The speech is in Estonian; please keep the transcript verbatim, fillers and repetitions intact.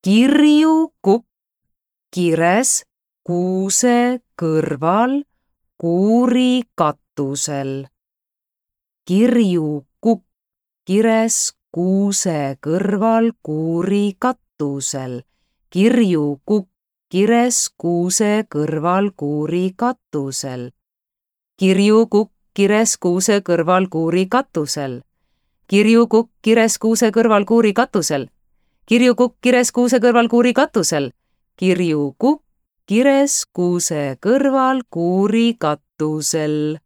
Kirju kukk kires kuuse kõrval kuuri katusel. Kirju kukk kires kuuse kõrval kuuri katusel. Kirju kukk kires kuuse kõrval kuuri katusel. Kirju kukk kires kuuse kõrval kuuri katusel. Kirju kukk kires kuuse kõrval kuuri katusel. Kirju kukk kires kuuse kõrval kuuri katusel. Kirju kukk kires kuuse kõrval kuuri katusel.